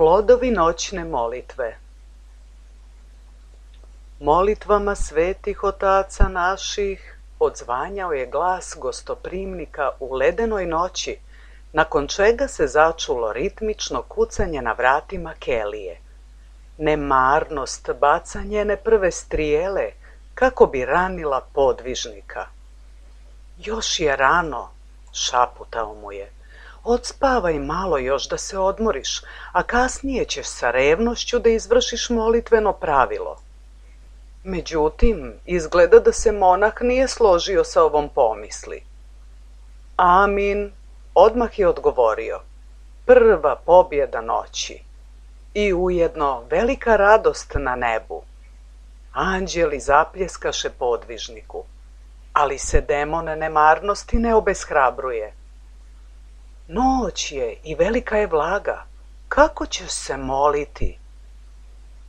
Plodovi noćne molitve. Molitvama svetih otaca naših odzvanjao je glas gostoprimnika u ledenoj noći, nakon čega se začulo ritmično kucanje na vratima kelije. Nemarnost baca njene prve strijele kako bi ranila podvižnika. Još je rano, šaputao mu je. Odspavaj malo još da se odmoriš, a kasnije ćeš sa revnošću da izvršiš molitveno pravilo. Međutim, izgleda da se monah nije složio sa ovom pomisli. Amin, odmah je odgovorio. Prva pobjeda noći i ujedno velika radost na nebu. Anđeli zapljeskaše podvižniku, ali se demon nemarnosti ne obeshrabruje. Noć je i velika je vlaga. Kako ćeš se moliti?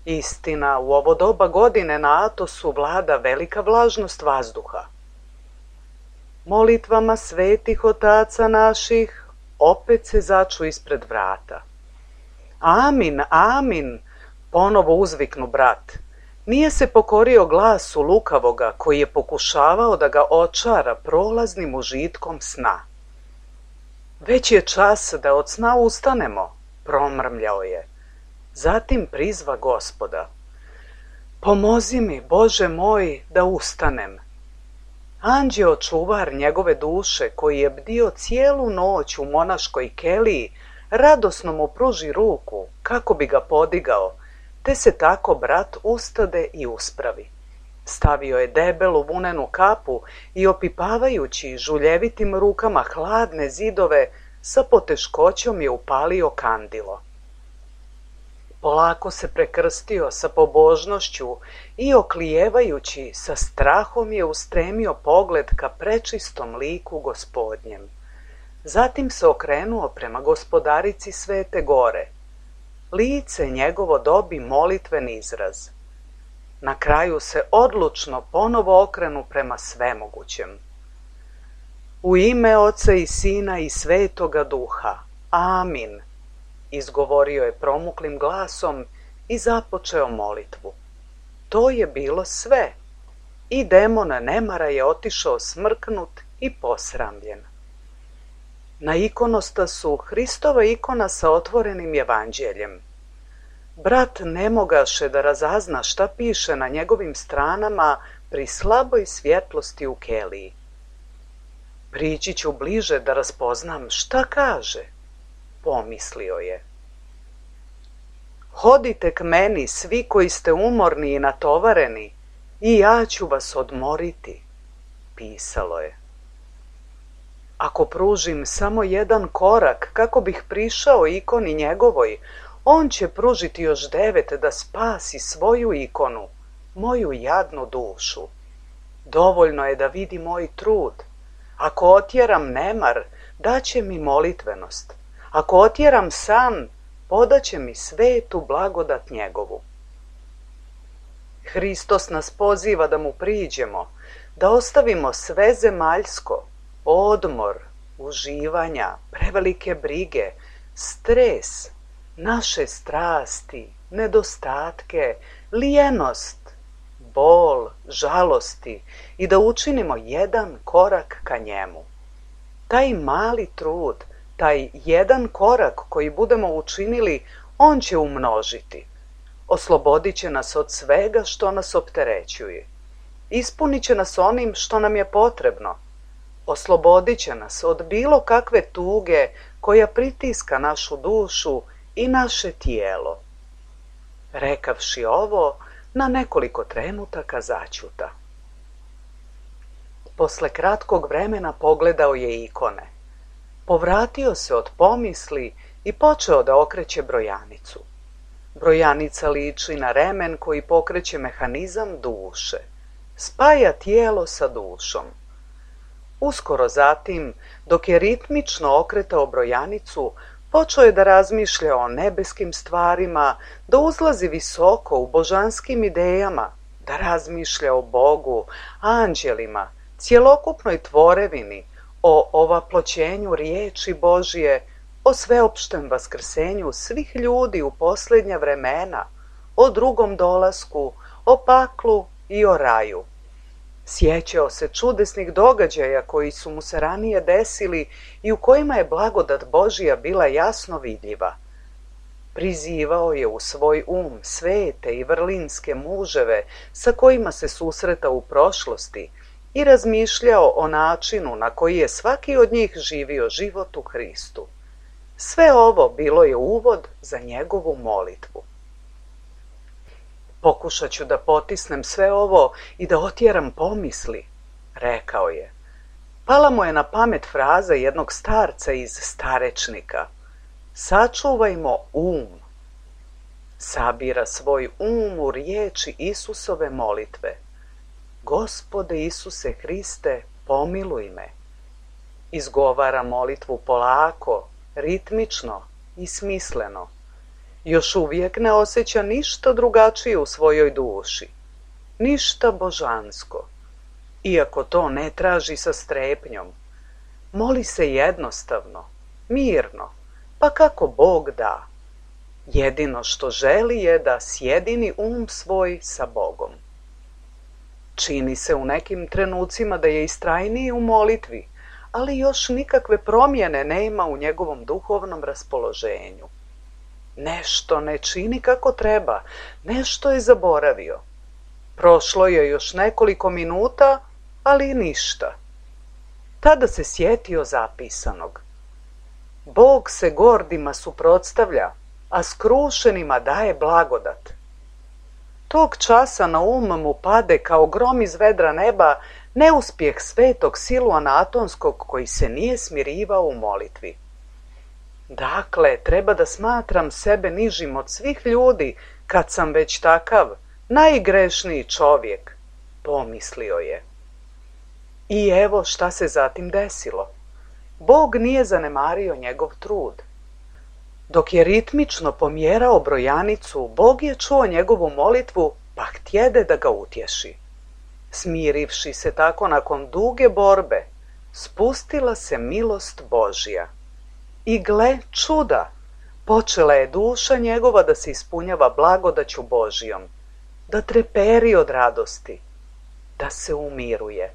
Istina, u ovo doba godine na Atosu vlada velika vlažnost vazduha. Molitvama svetih otaca naših opet se začu ispred vrata. Amin, amin, ponovo uzviknu brat. Nije se pokorio glasu lukavoga koji je pokušavao da ga očara prolaznim užitkom sna. Već je čas da od sna ustanemo, promrmljao je. Zatim prizva Gospoda. Pomozi mi, Bože moj, da ustanem. Anđeo čuvar njegove duše, koji je bdio cijelu noć u monaškoj keliji, radosno mu pruži ruku kako bi ga podigao, te se tako brat ustade i uspravi. Stavio je debelu vunenu kapu i opipavajući žuljevitim rukama hladne zidove, sa poteškoćom je upalio kandilo. Polako se prekrstio sa pobožnošću i oklijevajući sa strahom je ustremio pogled ka prečistom liku Gospodnjem. Zatim se okrenuo prema Gospodarici Svete Gore. Lice njegovo dobi molitven izraz. Na kraju se odlučno ponovo okrenu prema svemogućem. U ime Oca i Sina i Svetoga Duha. Amin. Izgovorio je promuklim glasom i započeo molitvu. To je bilo sve. I demon nemara je otišao smrknut i posramljen. Na ikonostasu Hristova ikona sa otvorenim evanđeljem. Brat ne mogaše da razazna šta piše na njegovim stranama pri slaboj svjetlosti u keliji. Prići ću bliže da raspoznam šta kaže, pomislio je. Hodite k meni svi koji ste umorni i natovareni i ja ću vas odmoriti, pisalo je. Ako pružim samo jedan korak kako bih prišao ikoni njegovoj, on će pružiti još 9 da spasi svoju ikonu, moju jadnu dušu. Dovoljno je da vidi moj trud. Ako otjeram nemar, daće mi molitvenost. Ako otjeram san, podaće mi svetu blagodat njegovu. Hristos nas poziva da mu priđemo, da ostavimo sve zemaljsko, odmor, uživanja, prevelike brige, stres, naše strasti, nedostatke, lijenost, bol, žalosti i da učinimo jedan korak ka njemu. Taj mali trud, taj jedan korak koji budemo učinili, on će umnožiti. Oslobodit će nas od svega što nas opterećuje. Ispunit će nas onim što nam je potrebno. Oslobodit će nas od bilo kakve tuge koja pritiska našu dušu i naše tijelo. Rekavši ovo, na nekoliko trenutaka začuta. Posle kratkog vremena pogledao je ikone. Povratio se od pomisli i počeo da okreće brojanicu. Brojanica liči na remen koji pokreće mehanizam duše. Spaja tijelo sa dušom. Uskoro zatim, dok je ritmično okretao brojanicu, počeo je da razmišlja o nebeskim stvarima, da uzlazi visoko u božanskim idejama, da razmišlja o Bogu, anđelima, cjelokupnoj tvorevini, o ovaploćenju riječi Božije, o sveopštem vaskrsenju svih ljudi u posljednja vremena, o drugom dolasku, o paklu i o raju. Sjećao se čudesnih događaja koji su mu se ranije desili i u kojima je blagodat Božija bila jasno vidljiva. Prizivao je u svoj svete i vrlinske muževe sa kojima se susretao u prošlosti i razmišljao o načinu na koji je svaki od njih živio život u Hristu. Sve ovo bilo je uvod za njegovu molitvu. Pokušat ću da potisnem sve ovo i da otjeram pomisli, rekao je. Pala mu je na pamet fraza jednog starca iz starečnika. Sačuvajmo Sabira svoj u riječi Isusove molitve. Gospode Isuse Hriste, pomiluj me. Izgovara molitvu polako, ritmično i smisleno. Još uvijek ne osjeća ništa drugačije u svojoj duši, ništa božansko, iako to ne traži sa strepnjom. Moli se jednostavno, mirno, pa kako Bog da. Jedino što želi je da sjedini svoj sa Bogom. Čini se u nekim trenucima da je istrajniji u molitvi, ali još nikakve promjene nema u njegovom duhovnom raspoloženju. Nešto ne čini kako treba, nešto je zaboravio. Prošlo je još nekoliko minuta, ali ništa. Tada se sjetio zapisanog. Bog se gordima suprotstavlja, a skrušenima daje blagodat. tog časa na mu pade kao grom iz vedra neba neuspjeh svetog Siluana Atonskog koji se nije smirivao u molitvi. Dakle, treba da smatram sebe nižim od svih ljudi kad sam već takav, najgrešniji čovjek, pomislio je. I evo šta se zatim desilo. Bog nije zanemario njegov trud. Dok je ritmično pomjerao brojanicu, Bog je čuo njegovu molitvu, pa htjede da ga utješi. Smirivši se tako nakon duge borbe, spustila se milost Božja. I gle čuda, počela je duša njegova da se ispunjava blagodaću Božjom, da treperi od radosti, da se umiruje,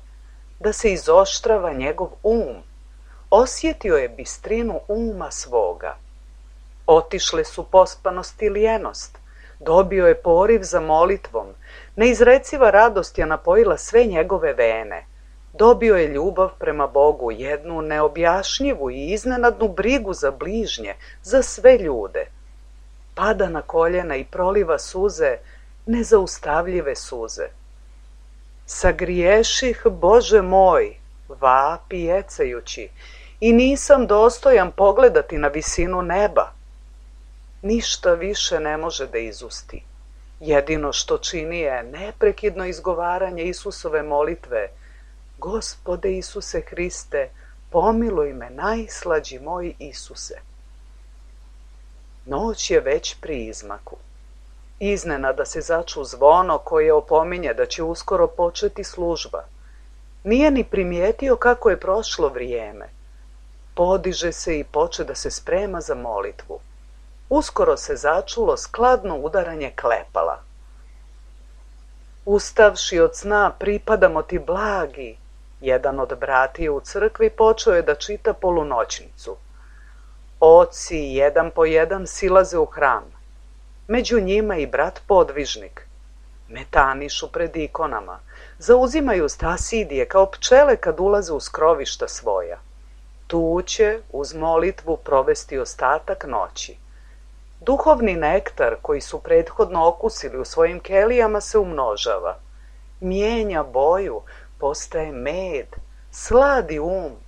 da se izoštrava njegov osjetio je bistrinu uma svoga. Otišle su pospanost i lijenost, dobio je poriv za molitvom, neizreciva radost je napojila sve njegove vene, dobio je ljubav prema Bogu, jednu neobjašnjivu i iznenadnu brigu za bližnje, za sve ljude. Pada na koljena i proliva suze, nezaustavljive suze. Sagriješih, Bože moj, vapi jecajući, i nisam dostojan pogledati na visinu neba. Ništa više ne može da izusti. Jedino što čini je neprekidno izgovaranje Isusove molitve: Gospode Isuse Hriste, pomiluj me, najslađi moj Isuse. Noć je već pri izmaku. Iznenada se začu zvono koje opominje da će uskoro početi služba. Nije ni primijetio kako je prošlo vrijeme. Podiže se i poče da se sprema za molitvu. Uskoro se začulo skladno udaranje klepala. Ustavši od sna, pripadamo ti blagi, jedan od bratija u crkvi počeo je da čita polunoćnicu. Oci jedan po jedan silaze u hram. Među njima i brat podvižnik. Metanišu pred ikonama, zauzimaju stasidije kao pčele kad ulaze u skrovišta svoja. Tu će uz molitvu provesti ostatak noći. Duhovni nektar koji su prethodno okusili u svojim kelijama se umnožava. Mijenja boju, postaje med, sladi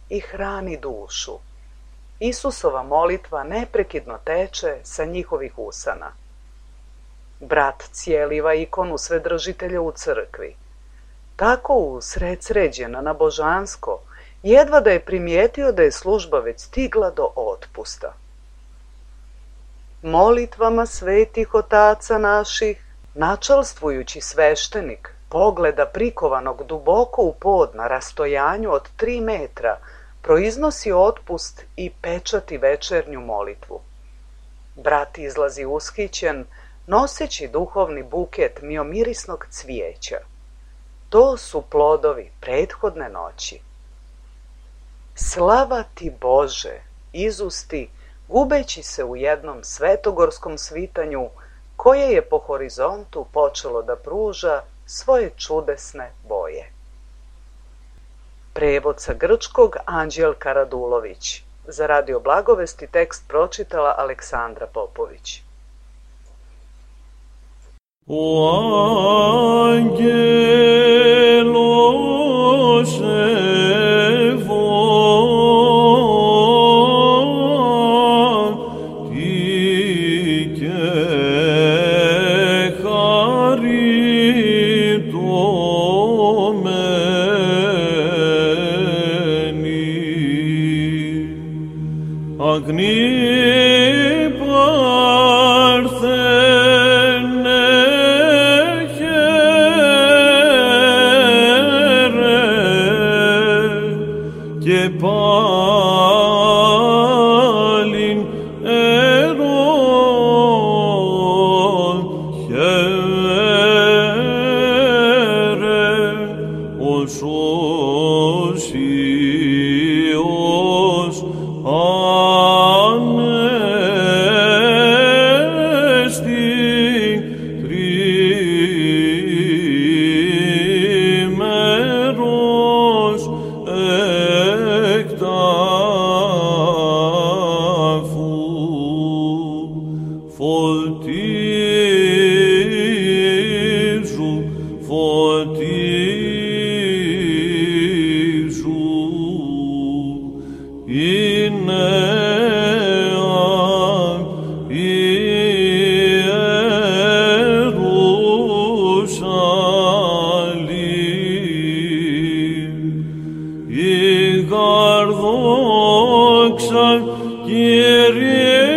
i hrani dušu. Isusova molitva neprekidno teče sa njihovih usana. Brat cijeliva ikonu Svedržitelja u crkvi. Tako usred sređena na božansko, jedva da je primijetio da je služba već stigla do otpusta. Molitvama svetih otaca naših, načalstvujući sveštenik, pogleda prikovanog duboko u pod na rastojanju od 3 metra, proiznosi otpust i pečati večernju molitvu. Brat izlazi ushićen, noseći duhovni buket miomirisnog cvijeća. To su plodovi prethodne noći. Slava ti Bože, izusti, gubeći se u jednom svetogorskom svitanju koje je po horizontu počelo da pruža svoje čudesne boje. Prevod sa grčkog Anđelka Radulović. Za Radio Blagovesti tekst pročitala Aleksandra Popović. O angeloše Volti doxa, Kyrie